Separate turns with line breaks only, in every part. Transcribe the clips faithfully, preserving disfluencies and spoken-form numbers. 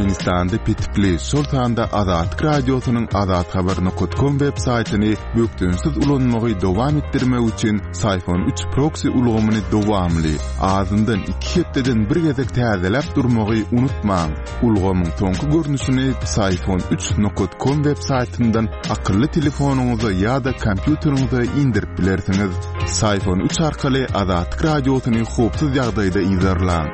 Türkmenistanda petikli, şol sanda Azatlyk Radiosynyň azathabar nokat kom web saýtyny bökdençsiz ulanmagy dowam etdirmek üçin Syfon üç proksi ulgamyny dowamly, azyndan iki hepdeden bir gezek täzeläp durmagy unutmaň. Ulgamyň soňky görnüşini Syfon üç nokat kom web saýtyndan akylly telefonyňyza ýa-da kompýuteriňize indirip bilersiňiz. Syfon üç arkaly Azatlyk Radiosyny howpsuz ýagdaýda yzarlaň.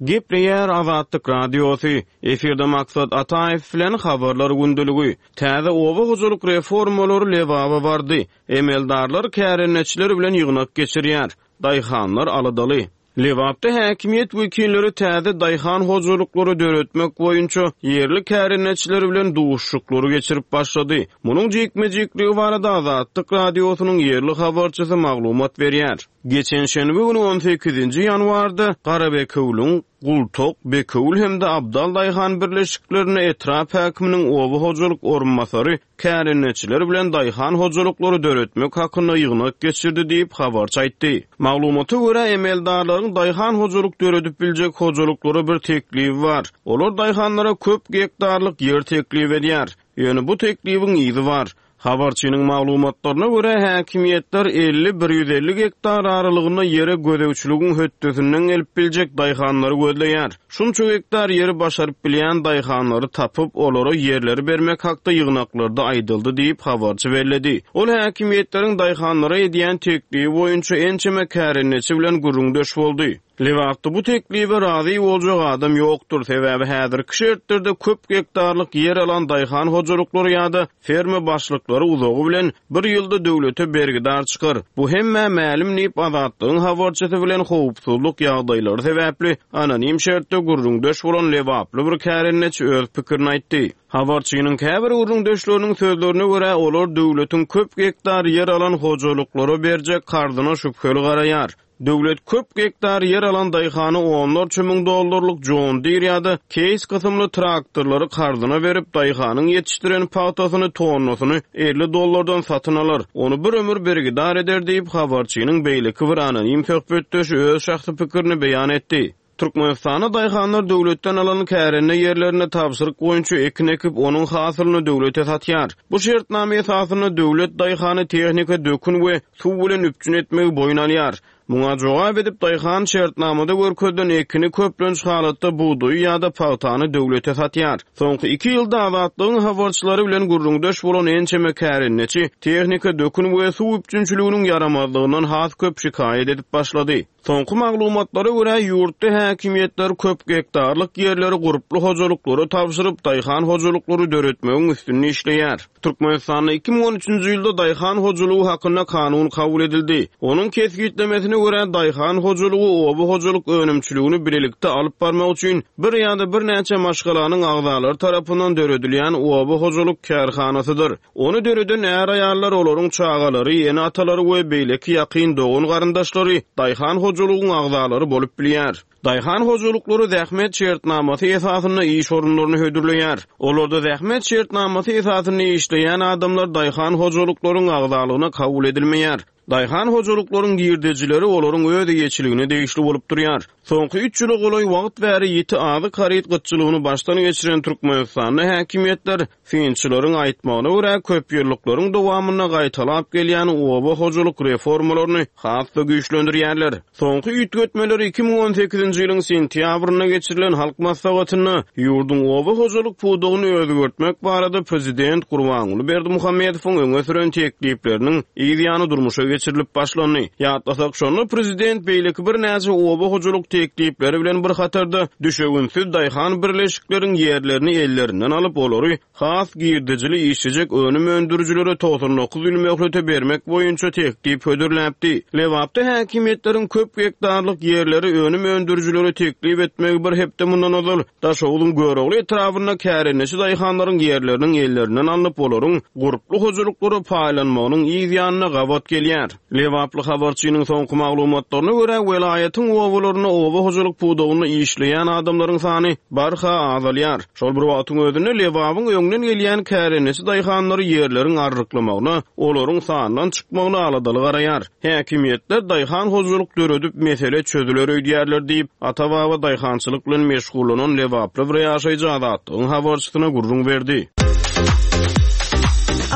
Gepleýär Azatlyk Radiosy. Efirde Maksat Ataýew bilen habarlar gündeligi. Täze oba hojalyk reformalary Lebaba bardy. Emeldarlar kärendeçiler bilen ýygnak geçirýär. Daýhanlar aladaly. Lebapda häkimiýet wekilleri täze daýhan hojalyklary döretmek boýunça ýerli kärendeçiler bilen duşuşyklary geçirip başlady. Munuň jikme-jikligi barada Azatlyk Radiosynyň ýerli habarçysy maglumat berýär. Geçen şenbe güni on sekizinji ýanwarda Garabekewliň Gultok, Bekewül hem-de Abdal daýhan birleşiklerinde etrap häkiminiň oba hojalyk orunbasary kärendeçiler bilen daýhan hojalyklary döretmek hakynda ýygnak geçirdi diýip habarçy aýtdy. Maglumata görä emeldarlaryň daýhan hojalyk döredip biljek hojalyklara bir teklibi bar. Olar daýhanlara köp gektarlyk ýer teklip edýär. Ýöne bu teklibiň yzy bar. Habarçynyň maglumatlaryna görä häkimiýetler elli bir ýüz elli gektar aralygynda ýere gözegçiligiň hötdesinden gelip biljek daýhanlary gözleýär. Şunça gektar ýeri başaryp bilýän daýhanlary tapyp, olara ýerleri bermek hakda ýygnaklarda aýdyldy diýip habarçy belledi. Ol häkimiýetleriň daýhanlara edýän teklibi boýunça ençeme kärendeçi bilen gürrüňdeş boldy. Lebapda bu teklibe razy boljak adam ýokdur, sebäbi häzirki şertlerde köp gektarlyk ýer alan daýhan hojalyklary ýa-da ferma başlyklary uzagy bilen bir ýylda döwlete bergidar çykar. Bu hemme mälim diýip Azatlygyň habarçysy bilen howpsuzlyk ýagdaýlary sebäpli anonim şertde gürrüňdeş bolan Lebaply bir kärendeçi öz pikirini aýtdy. Habarçynyň käbir gürrüňdeşleriniň sözlerine görä olar döwletiň köp gektar ýer alan hojalyklara berjek karzyna şübheli garaýar. Döwlet köp gektar ýer alan daýhany onlarça müň dollarlyk John Deere ýa-da Case kysymly traktorlary karzyna berip, daýhanyň ýetişdiren pagtasyny tonnasyny elli dollardan satyn alar. Ony bir ömür bergidar eder diýip habarçynyň beýleki bir anonim söhbetdeşi öz şahsy pikirini beýan etdi. Türkmenistanda daýhanlar döwletden alan kärende ýerlerine tabşyryk boýunça ekin ekip, onuň hasylyny döwlete satýar. Bu şertname esasynda döwlet daýhany tehnika dökün we suw bilen üpjün etmegi boýun alýar. Muňa jogap edip daýhan şertnamada görkezilen ekini köplenç halatda buğdaýy ýa-da pagtany döwlete satýar. Soňky iki ýylda Azatlygyň habarçylary bilen gürrüňdeş bolan ençeme kärendeçi tehnika dökün we suw üpjünçiliginiň ýaramazlygyndan has köp şikaýat edip başlady. Soňky maglumatlara görä ýurtda häkimiýetler köp gektarlyk ýerleri gurply hojalyklara tabşyryp, daýhan hojalyklary döretmegiň üstünde işleýär. Türkmenistanda iki müň on üçünji ýylda daýhan hojalygy hakynda kanun kabul edildi. Onuň kesgitlemesine görä daýhan hojalygy oba hojalyk önümçiligini bilelikde alyp barmak üçin bir ýa-da birnäçe maşgalanyň agzalary tarapyndan döredilýän oba hojalyk kärhanasydyr. Ony döreden är-aýallar, olaryň çagalary, ene-atalary we beýleki ýakyn dogan garyndaşlary daýhan hojalygyň agzalary bolup bilýär. Daýhan hojalyklary zähmet şertnamasy esasynda iş orunlaryny hödürleýär. Olarda zähmet şertnamasy esasynda işleýän adamlar daýhan hojalyklaryň agzalygyna kabul edilmeýär. Daýhan hojalyklaryň girdejileri olaryň öz eýeçiligine degişli bolup durýar. Soňky üç ýyla golaý wagt bäri ýiti azyk haryt gytçylygyny başdan geçiren Türkmenistanda häkimiýetler synçylaryň aýtmagyna görä köp ýyllyklaryň dowamynda gaýtalap gelýän oba hojalyk reformalaryny has-da güýçlendirýärler. Soňky üýtgetmeleri iki müň on sekizinji ýylyň sentýabrynda geçirilen halk maslahatynda ýurduň oba hojalyk pudagyny özgertmek barada prezident Gurbanguly Berdimuhamedowyň öňe süren teklipleriniň yz ýany durmuşa geçirilip başlandy. Ýatlasak şonda prezident beýleki birnäçe oba hojalyk teklipleri bilen bir hatarda düşewünsiz daýhan birleşikleriň ýerlerini ellerinden alyp olary has girdejili işlejek önüm öndürijilere togsan dokuz ýyl möhlete bermek boýunça teklip hödürläpdi. Lebapda häkimiýetleriň köp gektarlyk ýerleri önüm öndürijilere teklip etmegi bir hepde mundan ozal Daşoguzun Görogly etrabynda kärendeçi daýhanlaryň ýerleriniň ellerinden alnyp olaryň gurply hojalyklara paýlanmagynyň yz ýanyna gabat gelýär. edilýär. Lebaply habarçynyň soňky maglumatlaryna görä, welaýatyň obalarynda oba hojalyk pudagynda işleýän adamlaryň sany barha azalýar. Şol bir wagtyň özünde Lebabyň öňden gelýän kärendeçi daýhanlary ýerleriň arryklamagyna, olaryň sandan çykmagyna aladaly garaýar. Häkimiýetler daýhan hojalyk döredip mesele çözüler öýdýärler diýip, ata-baba daýhançylyk bilen meşgullanan Lebaply bir ýaşaýjy Azatlygyň habarçysyna gürrüň berdi.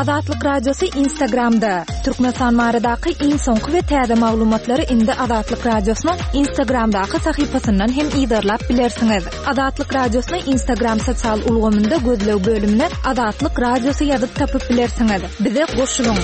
Azatlyk Radiosy Instagramda. Türkmenistan baradaky iň soňky we täze maglumatlary indi Azatlyk Radiosynyň Instagramdaky sahypasyndan hem yzarlap bilersiňiz. Azatlyk Radiosyny Instagram sosial ulgamynda gözleg bölümine Azatlyk Radiosy ýazyp tapyp bilersiňiz. Bize goşulyň.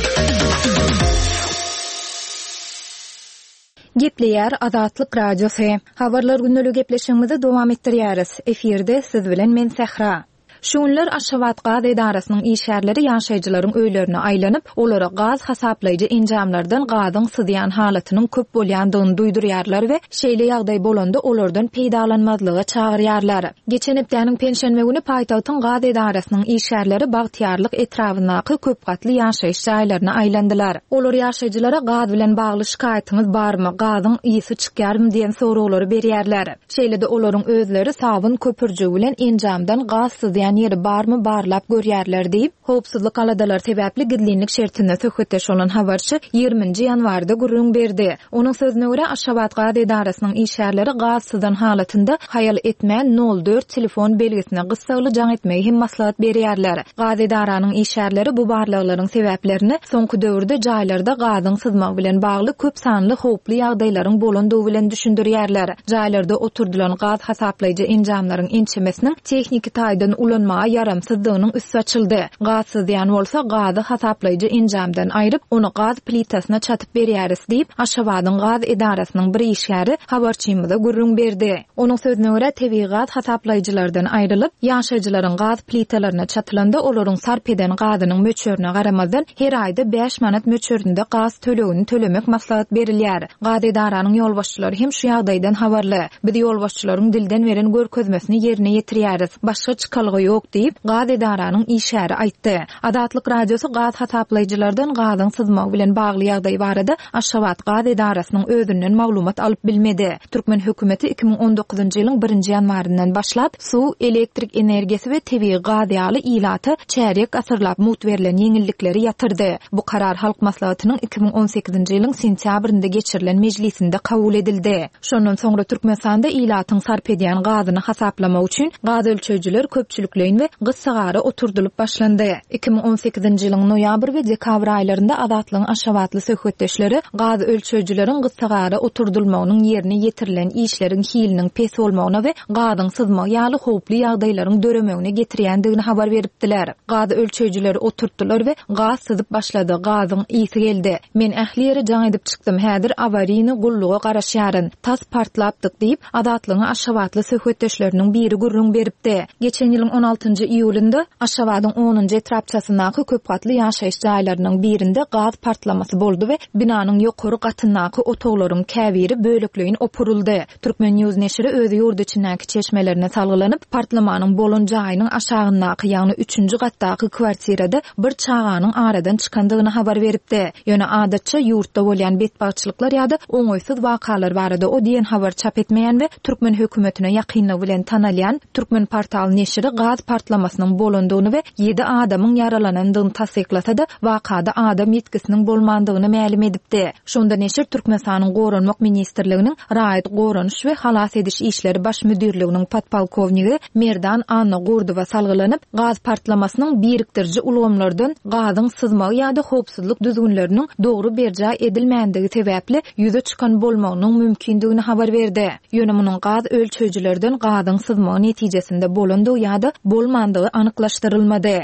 Gepleýär Azatlyk Radiosy. Habarlar gündelik gepleşigimizi dowam etdirýäris. Efirde siz bilen men Sähra. Şu günler Aşgabat gaz edarasynyň işgärleri ýaşaýjylaryň öýlerine aýlanyp, olara gaz hasaplaýjy enjamlardan gazyň syzýan halatynyň köp bolýandygyny duýdurýarlar we şeýle ýagdaý bolanda olardan peýdalanmazlyga çagyrýarlar. Geçen hepdäniň penşenbe güni paýtagtyň gaz edarasynyň işgärleri Bagtyýarlyk etrabyndaky köp gatly ýaşaýyş jaýlaryna aýlandylar. Olar ýaşaýjylara gaz bilen bagly şikaýatyňyz barmy, gazyň ysy çykýarmy diýen soraglary berýärler. Şeýle-de olaryň özleri sabyn köpürjigi bilen enjamdan gaz syzýan ýeri barmy barlap görýärler diýip, howpsuzlyk aladalary sebäpli gizlinlik şertinde söhbetdeş bolan habarçy ýigriminji ýanwarda gürrüň berdi. Onuň sözüne görä, Aşgabat gaz edarasynyň işgärleri gaz syzan halatynda haýal etmän nol dört telefon belgisine gyssagly jaň etmegi hem maslahat berýärler. Gaz edaranyň işgärleri bu barlaglaryň sebäplerini soňky döwürde jaýlarda gazyň syzmagy bilen bagly köp sanly howply ýagdaýlaryň bolandygy bilen düşündirýärler. Jaýlarda oturdylan gaz hasaplaýjy enjamlaryň ençemesiniň tehniki taýdan ulanmaga ýaramsyzdygynyň üsti açyldy. Gaz syzýan bolsa gazy hasaplaýjy enjamdan aýryp, ony gaz plitasyna çatyp berýäris diýip, Aşgabadyň gaz edarasynyň bir işgäri habarçymyza gürrüň berdi. Onuň sözüne görä, tebigy gaz hasaplaýjylardan aýrylyp, ýaşaýjylaryň gaz plitalaryna çatylanda olaryň sarp eden gazynyň möçberine garamazdan her aýda bäş manat möçberinde gaz tölegini tölemek maslahat berilýär. Gaz edaranyň ýolbaşçylary hem şu ýagdaýdan habarly. Biz ýolbaşçylaryň dilden beren görkezmesini ýerine ýetirýäris. Başga çykalga ýok diýip, gaz edaranyň işgäri aýtdy. Azatlyk Radiosy gaz hasaplaýjylardan gazyň syzmagy bilen bagly ýagdaý barada Aşgabat gaz edarasynyň özünden maglumat alyp bilmedi. Türkmen hökümeti iki müň on dokuzynjy ýylyň birinji ýanwaryndan başlap suw, elektrik energiýasy we tebigy gaz ýaly ilata çärýek asyrlap mugt berlen ýeňillikleri ýatyrdy. Bu karar Halk Maslahatynyň iki müň on sekizinji ýylyň sentýabrynda geçirilen mejlisinde kabul edildi. Şondan soňra Türkmenistanda ilatyň sarp edýän gazyny hasaplamak üçin gaz ölçeýjiler köpçülikleýin we gyssagara oturdylyp başlandy. iki müň on sekizinji ýylyň noýabr we dekabr aýlarynda Azatlygyň Aşgabatly söhbetdeşleri gaz ölçeýjileriň gyssagara oturdylmagynyň ýerine ýetirilen işleriň hiliniň pes bolmagyna we gazyň syzmagy ýaly howply ýagdaýlaryň döremegine getirýändigini habar beripdiler. Gaz ölçeýjileri oturtdylar we gaz syzyp başlady, gazyň ysy geldi. Men ähli ýere jaň edip çykdym, häzir awarini gulluga garaşýaryn. Tas partlapdyk diýip, Azatlygyň Aşgabatly söhbetdeşleriniň biri gürrüň beripdi. Geçen ýylyň on altynjy iýulynda Aşgabadyň onunjy etrapçasyndaky köp gatly ýaşaýyş jaýlarynyň birinde gaz partlamasy boldy we binanyň ýokary gatyndaky otaglaryň käbiri bölekleýin opuryldy. Türkmen News neşiri öz ýurt içindäki çeşmelerine salgylanyp, partlamanyň bolan jaýynyň aşagyndaky, ýagny üçünji gatdaky kwartirada bir çaganyň aradan çykandygyny habar beripdi. Ýöne adatça ýurtda bolýan betbagtçylyklar ýa-da oňaýsyz wakalar barada o diýen habar çap etmeýän we Türkmen hökümetine ýakynlygy bilen tanalýan Türkmen portal neşiri gaz partlamasynyň bolandygyny we ýedi adamyň ýaralanandygyny tassyklasa-da, wakada adam ýetgisiniň bolmandygyny mälim edipdi. Şonda neşir Türkmenistanyň Goranmak Ministrliginiň Raýat Goranyş we Halas ediş işleri baş müdirliginiň podpolkownigi Merdan Anna Gurdowa salgylanyp, gaz partlamasynyň birikdiriji ulgamlardan gazyň syzmagy ýa-da howpsuzlyk düzgünleriniň dogry berjaý edilmändigi sebäpli ýüze çykan bolmagynyň mümkindigini habar berdi. Ýöne munuň gaz ölçeýjilerden gazyň syzmagy netijesinde bolandygy ýa-da bolmandygy anyklaşdyrylmady.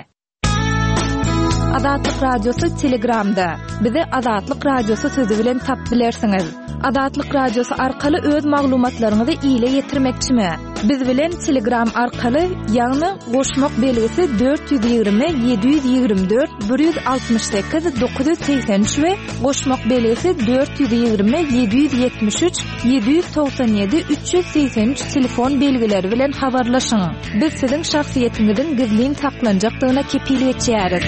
Azatlyk Radiosy Telegramda. Bizi Azatlyk Radiosy sözü bilen tap bilersiňiz. Azatlyk Radiosy arkaly öz maglumatlaryňyzy ile ýetirmekçimi? Biz bilen Telegram arkaly, ýagny goşmak belgisi dört ýüz ýigrimi, ýedi ýüz ýigrimi dört, bir ýüz altmyş sekiz, dokuz ýüz segsen üç we goşmak belgisi dört ýüz ýigrimi, ýedi ýüz ýetmiş üç, ýedi ýüz togsan ýedi, üç ýüz segsen üç telefon belgileri bilen habarlaşyň. Biz siziň şahsyýetiňiziň gizlin saklanjakdygyna kepil geçýäris.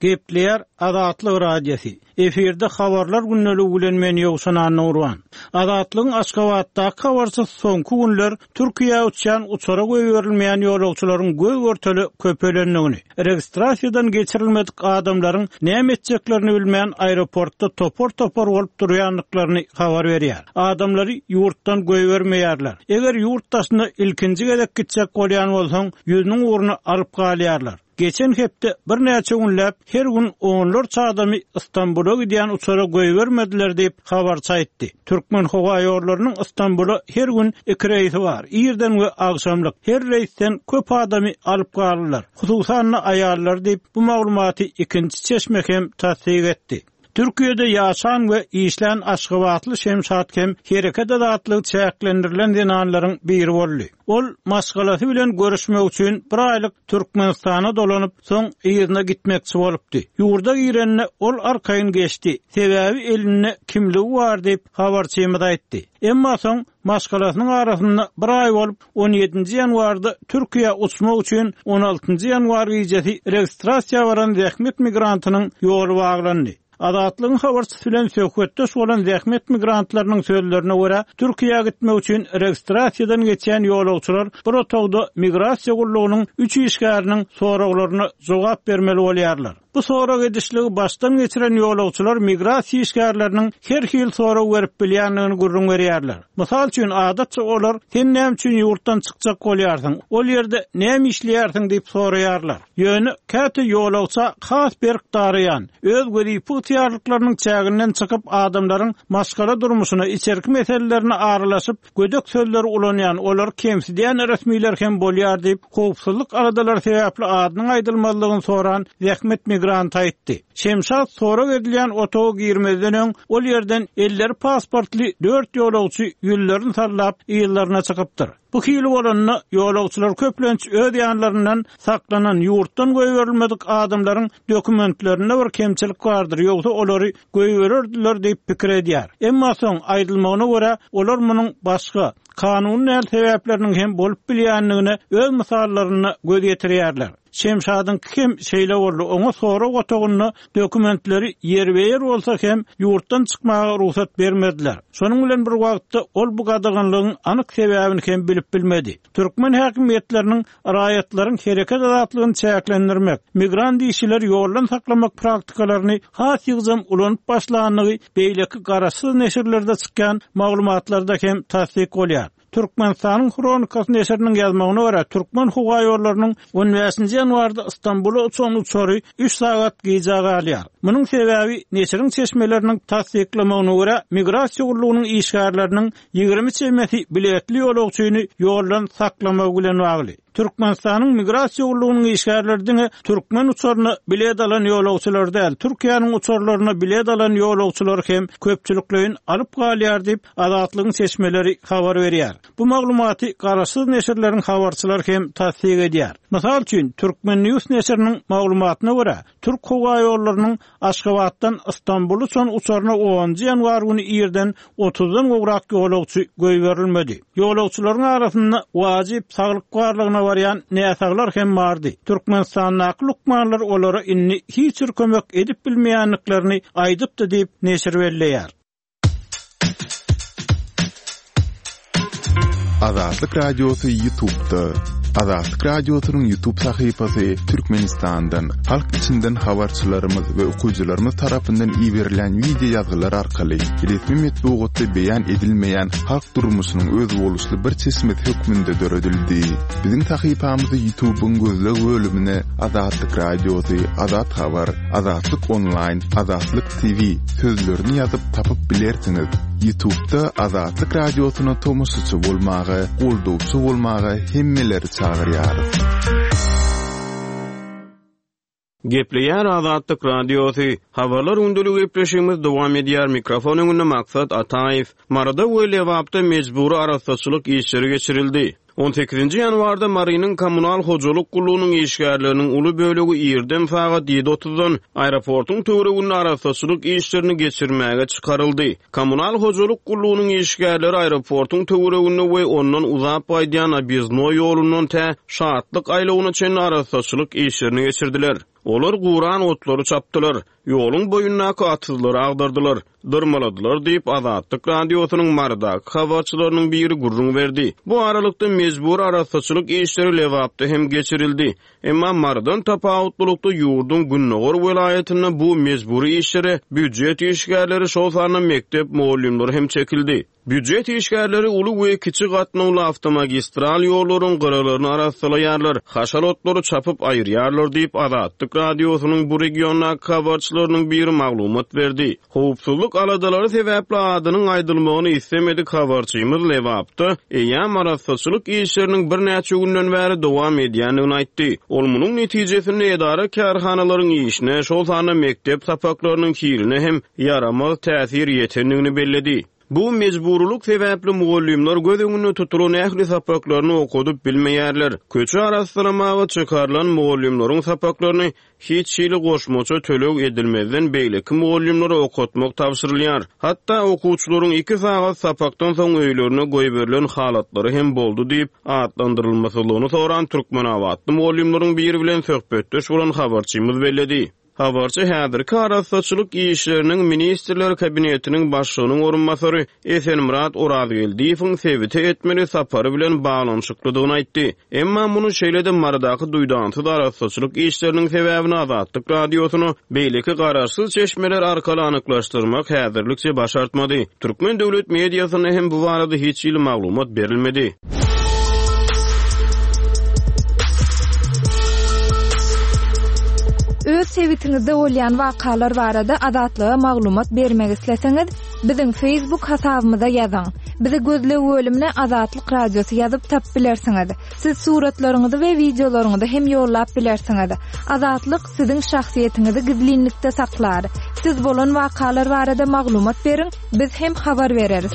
Gepleýär Azatlyk Radiosy. Efirde habarlar gündeligi bilen men Ýowşan Annagurban. Azatlygyň Aşgabatdaky habarçysy soňky günler Türkiýä uçýan uçara goýberilmeýän ýolagçylaryň göz-görtele köpelendigini, registrasiýadan geçirilmedik adamlaryň näme etjeklerini bilmän aeroportda topar-topar bolup durýandyklaryny habar berýär. Adamlary ýurtdan goýbermeýärler. Eger ýurt daşyna ilkinji gezek gitjek bolýan bolsaň, ýüzüniň ugruna alyp galýarlar. Geçen hepde birnäçe günläp her gün onlarça adamy Istanbula gidýän uçara goýbermediler diýip habarçy aýtdy. Türkmen howa ýollarynyň Istanbula her gün iki reýsi bar. Irden we agşamlyk. Her reýsden köp adamy alyp galdylar. Hususan-da aýallar diýip bu maglumaty ikinji çeşme hem tassyk etdi. Türkiýede ýaşan we işlän Aşgabatly Şemşat hem hereket azatlygy çäklendirilen zenanlaryň biri boldy. Ol maşgalasy bilen görüşmek üçin bir aýlyk Türkmenistana dolanyp, soň yzyna gitmekçi bolupdy. Ýurda girende ol arkaýyn geçdi. Sebäbi elinde kimligi bar diýip habarçymyz aýtdy. Emma soň maşgalasynyň arasynda bir aý bolup on ýedinji ýanwarda Türkiýä uçmak üçin on altynjy ýanwar gijesi registrasiýa baran zähmet migrantynyň ýoly baglandy. Azatlygyň habarçysy bilen söhbetdeş bolan zähmet migrantlarynyň sözlerine görä, Türkiýä gitmek üçin registrasiýadan geçen ýolagçylar bir otagda migrasiýa gullugynyň üç işgäriniň soraglaryna jogap bermeli bolýarlar. Bu sorag edişligi başdan geçiren ýolagçylar migrasiýa işgärleriniň her hil sorag berip bilýändigini gürrüň berýärler. Mysal üçin, adatça olar sen näme üçin ýurtdan çykjak bolýarsyň, ol ýerde näme işleýärsiň diýip soraýarlar. Ýöne käte ýolagça has berk daraýan, öz wezipe ygtyýarlyklarynyň çäginden çykyp adamlaryň maşgala durmuşyna, içerki meselelerine aralaşyp, gödek sözleri ulanýan, olar kemsidýän resmiler hem bolýar diýip, howpsuzlyk aladalary sebäpli adynyň aýdylmazlygyny soran zähmet migranty aýtdy. Şemşat sorag edilýän otaga girmezden öň ol ýerden elleri pasportly dört ýolagçy ýüllerini sallap ýyllaryna çykypdyr. Bu hili bolanda ýolagçylar köplenç öz ýanlaryndan saklanan ýurtdan goýberilmedik adamlaryň dokumentlerinde bir kemçilik bardyr, ýogsa olary goýbererdiler diýip pikir edýär. Emma soň aýdylmagyna görä, olar munuň başga kanuny däl sebäpleriniň hem bolup bilýändigine öz mysallarynda göz ýetirýärler. Şemşadyň kim şeýle boldy, oňa sorag otagynda dokumentleri ýerbe-ýer bolsa hem ýurtdan çykmaga rugsat bermediler. Şonuň bilen bir wagtda ol bu gadaganlygyň anyk sebäbini hem bilip bilmedi. Türkmen häkimiýetleriniň raýatlaryň hereket azatlygyny çäklendirmek, migrant işçileri ýoldan saklamak praktikalaryny has ýygjam ulanyp başlandygy beýleki garaşsyz neşirlerde çykýan maglumatlarda hem tassyk bolýar. Türkmenistanyň Hronikasy neşiriniň ýazmagyna görä, Türkmen howa ýollarynyň on bäşinji ýanwarda Istanbula uçan uçary üç sagat gijä galýar. Munuň sebäbi neşiriň çeşmeleriniň tassyklamagyna görä, migrasiýa gullugynyň işgärleriniň ýigrimi çemesi biletli ýolagçyny ýoldan saklamagy bilen bagly. Türkmenistanyň migrasiýa gullugynyň işgärleri diňe türkmen uçaryna bilet alan ýolagçylar däl, Türkiýäniň uçarlaryna bilet alan ýolagçylar hem köpçülikleýin alyp galýar diýip Azatlygyň çeşmeleri habar berýär. Bu maglumaty garaşsyz neşirleriň habarçylary hem tassyk edýär. Mysal üçin, Türkmen News neşiriniň maglumatyna görä, Türk howa ýollarynyň Aşgabatdan Istanbula uçan uçaryna onunjy ýanwar güni irden otuzdan gowrak ýolagçy goýberilmedi. Ýolagçylaryň arasynda wajyp saglyk barlagyna barýan näsaglar hem bardy. Türkmenistandaky lukmanlar olara indi hiç bir kömek edip bilmeýändiklerini aýdypdy diýip neşir belleýär.
Azatlyk Radiosy YouTube'da. Azatlyk Radiosynyň YouTube sahypasy Türkmenistandan, halk içinden habarçylarymyz we okyjylarymyz tarapyndan iberilen video ýazgylar arkaly resmi metbugatda beýan edilmeýän halk durmuşynyň özboluşly bir çeşmesi hökmünde döredildi. Biziň sahypamyzy YouTube'yň gözleg bölümine Azatlyk Radiosy, Azat Habar, Azatlyk Online, Azatlyk T V sözlerini ýazyp tapyp bilersiňiz. YouTube'da Azatlyk Radiosyna tomaşaçy bolmaga, goldawçy bolmaga hemmeleri çagyrýarys.
Gepleýär Azatlyk Radiosy. Habarlar gündeligi gepleşigimiz dowam edýär. Mikrofon öňünde Maksat Ataýew. Maryda we Lebapda mejbury arassaçylyk işleri geçirildi. on sekizinji ýanwarda Marynyň kommunal hojalyk gullugynyň işgärleriniň uly bölegi irden sagat ýedi otuzdan aeroportuň töwereginde arassaçylyk işlerini geçirmäge çykaryldy. Kommunal hojalyk gullugynyň işgärleri aeroportuň töwereginde we ondan uzap gaýdýan Obýezdnoý ýolundan tä Şatlyk aýlawyna çenli arassaçylyk işlerini geçirdiler. Olar guran otlary çapdylar. Ýoluň boýundaky atyzlary agdardylar, dyrmaladylar diýip, Azatlyk Radiosynyň Marydaky habarçylarynyň biri gürrüň berdi. Bu aralykda mejbur arassaçylyk işleri Lebapda hem geçirildi. Emma Marydan tapawutlylykda ýurduň Gündogar welaýatynda bu mejburi işlere býujet işgärleri, şol sanda mekdep mugallymlary hem çekildi. Býujet işgärleri uly we kiçi gatnawly awtomagistral ýollaryň gyralaryny arassalaýarlar, haşal otlary çapyp aýyrýarlar diýip, Azatlyk Radiosynyň bu regiondaky habarçylarynyň biri maglumat berdi. Howpsuzlyk aladalary sebäpli adynyň aýdylmagyny istemedik habarçymyz Lebapda eýýäm arassaçylyk işleriniň birnäçe günden bäri dowam edýändigini aýtdy. Ol munuň netijesinde edara kärhanalaryň işine, şol sanda mekdep sapaklarynyň hiline hem ýaramaz täsir ýetendigini belledi. Bu mejburulyk sebäpli mugallymlar göz öňünde tutulan ähli sapaklaryny okadyp bilmeýärler. Köçe arassalamaga çykarylan mugallymlaryň sapaklaryny hiç hili goşmaça töleg edilmezden beýleki mugallymlara okatmak tabşyrylýar. Hatda okuwçylaryň iki sagat sapakdan soň öýlerine goýberilen halatlary hem boldy diýip, atlandyrylmasyzlygyny soran Türkmenabatly mugallymlaryň biri bilen söhbetdeş bolan habarçymyz belledi. Habarçy häzirki arassaçylyk işleriniň Ministrler Kabinetiniň başlygynyň orunbasary Esenmyrat Orazgeldiýewiň sebite etmeli sapary bilen baglanyşyklydygyny aýtdy. Emma muny şeýle-de Marydaky duýdansyz arassaçylyk işleriniň sebäbini Azatlyk Radiosyna beýleki garaşsyz çeşmeler arkaly anyklaşdyrmak häzirlikçe başartmady. Türkmen döwlet mediasynda hem bu barada hiç hili maglumat berilmedi.
Öz sebitiňizde bolýan wakalar barada Azatlyga maglumat bermek isleseňiz, biziň Facebook hasabymyza ýazyň. Bizi gözleg bölümine Azatlyk Radiosy ýazyp tap bilersiňiz. Siz suratlaryňyzy we wideolaryňyzy hem ýollap bilersiňiz. Azatlyk siziň şahsyýetiňizi gizlinlikde saklar. Siz bolan wakalar barada maglumat beriň, biz hem habar bereris.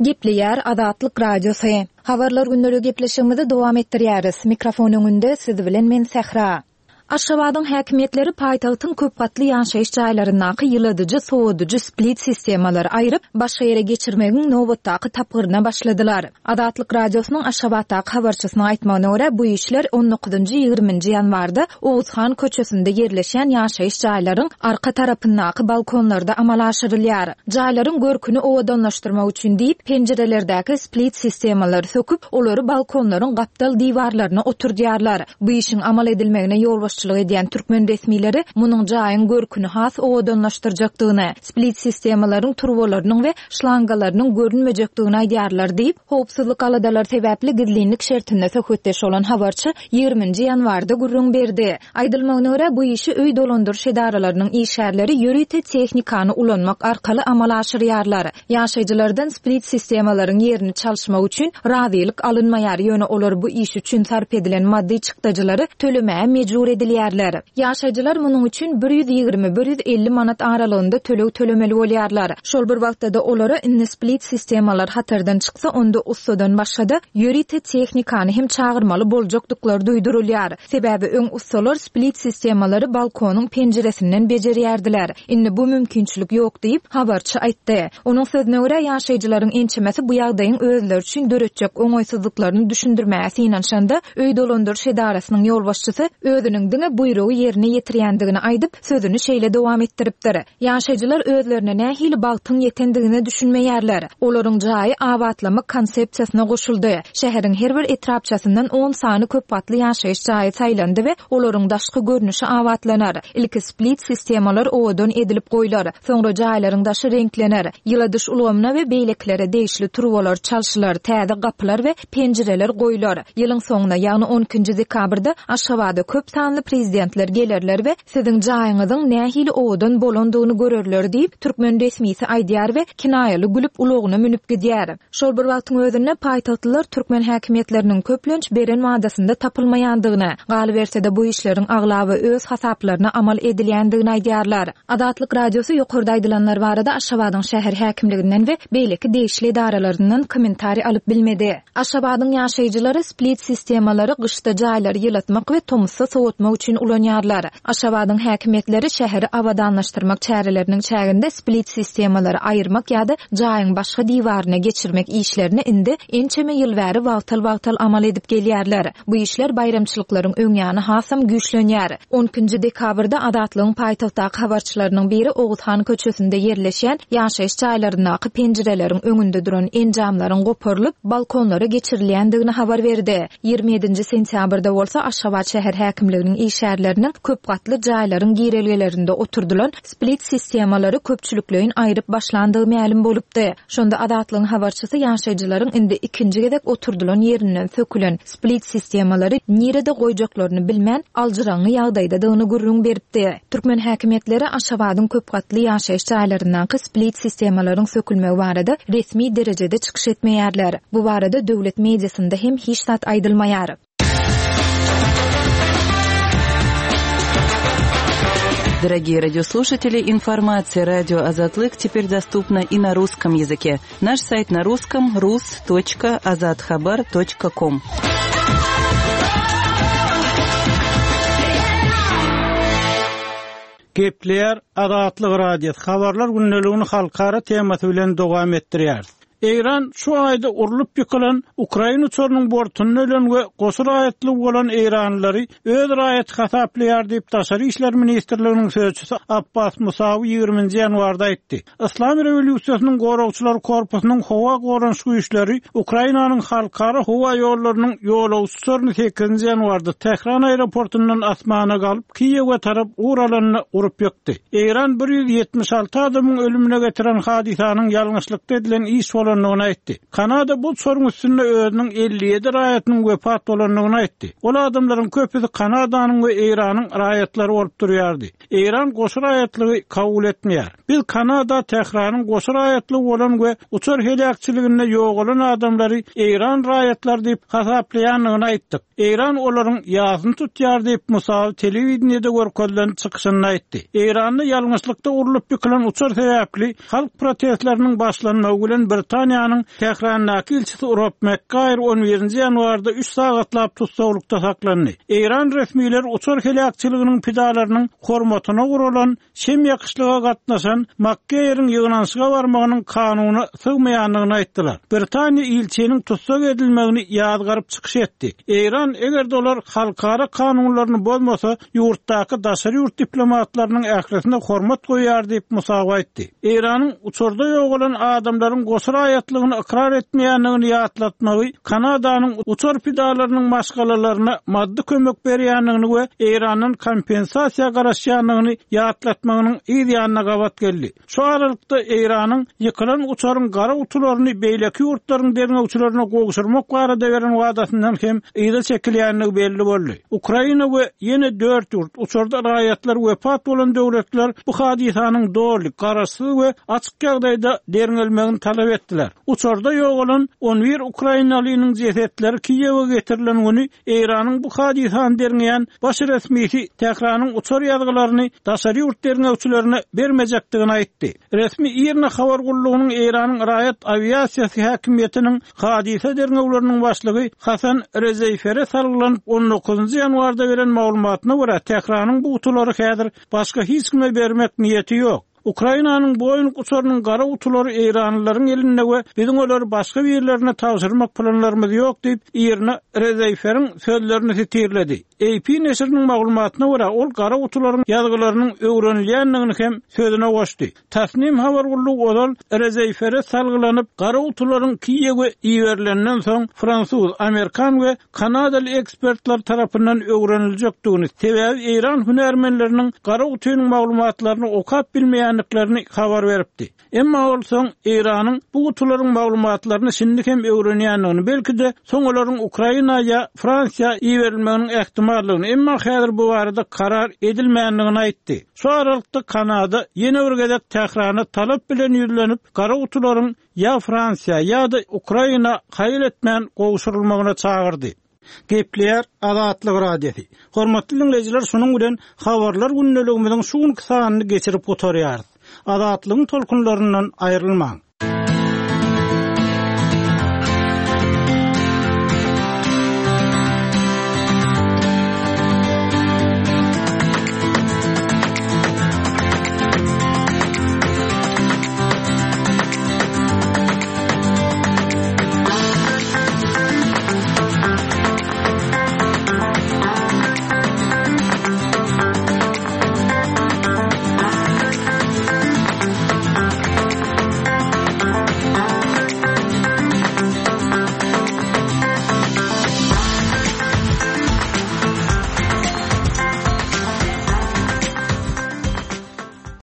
Gepleýär Azatlyk Radiosy. Habarlar günleri gepleşigimizi dowam etdirýäris. Mikrofon öňünde siz bilen men Sähra. Aşgabadyň häkimiýetleri paýtagtyň köp gatly ýaşaýyş jaýlaryndaky ýyladyjy, sowadyjy split sistemalary aýryp, başga ýere geçirmegiň nobatdaky tapgyryna başladylar. Azatlyk Radiosynyň Aşgabatdaky habarçysynyň aýtmagyna görä, bu işler on dokuzynjy ýigriminji ýanwarda Oguzhan köçesinde ýerleşen ýaşaýyş jaýlaryň arka tarapyndaky balkonlarda amala aşyrylýar. Jaýlaryň görküni owadanlaşdyrmak üçin diýip, penjirelerdäki split sistemalary söküp, olary balkonlaryň gapdal diwarlaryna oturdýarlar. Bu işiň amal edilmegine ýolbaşçylyk edýän türkmen resmileri munuň jaýyň görküni has owadanlaşdyrjakdygyny, split sistemalaryň turbalarynyň we şlangalarynyň görünmejekdigini aýdýarlar diýip, howpsuzlyk aladalary sebäpli gizlinlik şertinde söhbetdeş bolan habarçy ýigriminji ýanwarda gürrüň berdi. Aýdylmagyna görä, bu işi öý dolandyryş edaralarynyň işgärleri ýörite tehnikany ulanmak arkaly amala aşyrýarlar. Ýaşaýjylardan split sistemalaryň ýerini çalyşmak üçin razylyk alynmaýar, ýöne olar bu iş üçin sarp edilen maddy çykdajylary tölemäge mejbur edilýärler. Ýaşaýjylar munuň üçin bir ýüz ýigrimi, bir ýüz elli manat aralygynda töleg tölemeli bolýarlar. Şol bir wagtda-da olara indi split sistemalar hatardan çyksa, onda ussadan başga-da ýörite tehnikany hem çagyrmaly boljakdyklary duýdurylýar. Sebäbi öň ussalar split sistemalary balkonyň penjiresinden bejerýärdiler. Indi bu mümkinçilik ýok diýip, habarçy aýtdy. Onuň sözüne görä, ýaşaýjylaryň ençemesi bu ýagdaýyň özleri üçin döretjek oňaýsyzlyklaryny düşündirmäge synanyşanda, öý dolandyryş edarasynyň ýolbaşçysy özüniň diňe buýrugy ýerine ýetirýändigini aýdyp, sözüni şeýle dowam etdiripdir. Ýaşaýjylar özlerine nähili bagtyň ýetendigine düşünmeýärler. Olaryň jaýy abatlamak konsepsiýasyna goşuldy. Şäheriň her bir etrapçasyndan on sany köp gatly ýaşaýyş jaýy saýlandy we olaryň daşky görnüşi abatlanar. Ilki split sistemalar owadan edilip goýlar. Soňra jaýlaryň daşy reňklener. Ýyladyş ulgamyna we beýlekilere degişli turbalar çalşylar, täze gapylar we penjireler goýlar. Ýylyň soňuna, ýagny on ikinji dekabrda Aşgabada köp sanly prezidentler gelerler we siziň jaýyňyzyň nähili owadan bolandygyny görerler diýip, türkmen resmisi aýdýar we kinaýaly gülüp ulagyna münüp gidýär. Şol bir wagtyň özünde paýtagtlylar türkmen häkimiýetleriniň köplenç beren wadasynda tapylmaýandygyny, galyberse-de bu işleriň aglaby öz hasaplaryna amal edilýändigini aýdýarlar. Azatlyk Radiosy ýokarda aýdylanlar barada Aşgabadyň şäher häkimliginden we beýleki degişli edaralaryndan kommentariý alyp bilmedi. Aşgabadyň ýaşaýjylary split sistemalary gyşda jaýlary ýylatmak we tomusda soğutmak üçin ulanýarlar. Aşgabadyň häkimiýetleri şäheri abadanlaşdyrmak çäreleriniň çäginde split sistemalary aýyrmak ýa-da jaýyň başga diwaryna geçirmek işlerini indi ençeme ýyl bäri wagtal-wagtal amal edip gelýärler. Bu işler baýramçylyklaryň öňýany hasam güýçlenýär. on ikinji dekabrda Azatlygyň paýtagtdaky habarçylarynyň biri Oguzhan köçesinde ýerleşýän ýaşaýyş jaýlaryndaky penjireleriň öňünde duran enjamlaryň goparylyp balkonlara geçirilýändigini habar berdi. ýigrimi ýedinji sentýabrda bolsa Aşgabat şäher häkimliginiň işgärleriniň köp gatly jaýlaryň girelgelerinde oturdylan split sistemalary köpçülikleýin aýryp başlandygy mälim bolupdy. Şonda Azatlygyň habarçysy ýaşaýjylaryň indi ikinji gezek oturdylan ýerinden sökülen split sistemalary nirede goýjaklaryny bilmän aljyraňňy ýagdaýdadygyny gürrüň beripdi. Türkmen häkimiýetleri Aşgabadyň köp gatly ýaşaýyş jaýlaryndaky split sistemalaryň sökülmegi barada resmi derejede çykyş etmeýärler. Bu barada döwlet mediasynda hem hiç zat aýdylmaýar.
Дорогие радиослушатели, информация радио Азатлык теперь доступна и на русском языке. Наш сайт на русском рус точка азатхабар точка ком.
Gepleýär Azatlyk Radiosy habarlar gündeligini halkara temasy bilen dowam etdirýär. Eýran şu aýda urlup ýykylan Ukraina uçarynyň bortunda ölen we goşa raýatly bolan Eýranlylary öz raýaty hasaplaýar diýip Daşary işler ministrliginiň sözçüsi Abbas Musawi ýigriminji ýanwarda aýtdy. Islam rewolýusiýasynyň goragçylar korpusynyň howa goranyş güýçleri Ukrainanyň halkara howa ýollarynyň ýolagçy uçaryny sekizinji ýanwarda Tähran aeroportundan asmana galyp Kiýewe tarap ugralanyny urup ýykdy. Eýran bir ýüz ýetmiş alty adamyň ölümüne getiren hadysanyň ýalňyşlykda edilen iş bolandygyny aýtdy. Kanada bu uçaryň üstünde özüniň elli ýedi raýatynyň wepat bolandygyny aýtdy. Ol adamlaryň köpüsi Kanadanyň we Eýranyň raýatlary bolup durýardy. Eýran goşa raýatlygy kabul etmeýär. Biz Kanada Tähranyň goşa raýatlygy bolan we uçar heläkçiliginde ýogalan adamlary Eýran raýatlary diýip hasaplaýandygyny aýtdyk. Eýran olaryň ýasyny tutýar diýip Musawi telewideniýede görkezilen çykyşynda aýtdy. Eýranda ýalňyşlykda urlup ýykylan uçar sebäpli halk protestleriniň başlanmagy bilen Britaniýanyň Tährandaky ilçisi Rob McGuire on birinji ýanwarda üç sagatlap tussaglykda saklandy. Eýran resmileri uçar heläkçiliginiň pidalarynyň hormatyna guralan şem ýakyşlyga gatnaşan McGuire'in ýygnanyşyga barmagynyň kanuny sygmaýandygyny aýtdylar. Britaniýa ilçiniň tussag edilmegini ýazgaryp çykyş etdi. Eýran eger dolar halkara kanunlaryny bozmasa, ýurtdaky daşary ýurt diplomatlarynyň ählisine hormat goýar diýip Musawi aýtdy. Eýranyň uçarda ýogalan adamlaryň goşa raýatlygyny ykrar etmeýändigini ýatlatmagy, Kanadanyň uçar pidalarynyň maşgalalaryna maddy kömek berýändigini we Eýrandan kompensasiýa garaşýandygyny ýatlatmagynyň yz ýanyna gabat geldi. Şu aralykda Eýranyň ýykylan uçaryň gara gutularyny beýleki ýurtlaryň derňewçilerine gowşurmak barada beren wadasyndan hem yza çekilýändigi belli boldy. Ukraina we ýene dört ýurt uçarda raýatlar wepat bolan döwletler bu hadysanyň doly, garaşsyz we açyk ýagdaýda derňelmegini talap etdiler. Uçarda ýogalan on bir Ukrainalynyň jesetleri Kiýewe getirilen güni Eýranyň bu hadysany derňeýän baş resmisi Tähranyň uçar ýazgylaryny daşary ýurt derňewçilerine bermejekdigini aýtdy. Resmi IRNA habar gullugynyň Eýranyň raýat awiasiýasy häkimiýetiniň hadysa derňewleriniň başlygy Hasan Rezeýfere salgylanyp on dokuzynjy ýanwarda beren maglumatyna görä Tähranyň bu gutulary häzir başga hiç kime bermek niýeti ýok. Ukrainanyň Boeing uçarynyň gara gutulary Eýranlylaryň elinde we biziň olary başga birlerine tabşyrmak planlarymyz ýok diýip IRNA Rezeýferiň sözlerini sitirledi. A P neşiriniň maglumatyna görä ol gara gutularyň ýazgylarynyň öwrenilýändigini hem sözüne goşdy. Tasnim habar gullugy ozal Rezeýfere salgylanyp gara gutularyň Kiýewe iberilenden soň fransuz, amerikan we kanadaly ekspertler tarapyndan öwreniljekdigini, sebäbi Eýran hünärmenleriniň gara gutynyň maglumatlaryny okap bilmeýändiklerini habar beripdi. Emma ol soň Eýranyň bu gutularyň maglumatlaryny şindi hem öwrenýändigini, belki-de soň olaryň Ukraina ýa Fransiýa iberilmeginiň ähtimallygyny, emma häzir bu barada karar edilmändigini aýtdy. Şu aralykda Kanada ýene bir gezek Tährana talap bilen ýüzlenip, gara gutularyň ýa Fransiýa ýa-da Ukraina haýyl etmän gowşurylmagyna çagyrdy. Gepleýär Azatlyk Radiosy. Hormatly dinleýjiler, şunuň bilen habarlar gündeligimiziň şu günki sanyny geçirip gutarýarys. Azatlygyň tolkunlaryndan aýrylmaň.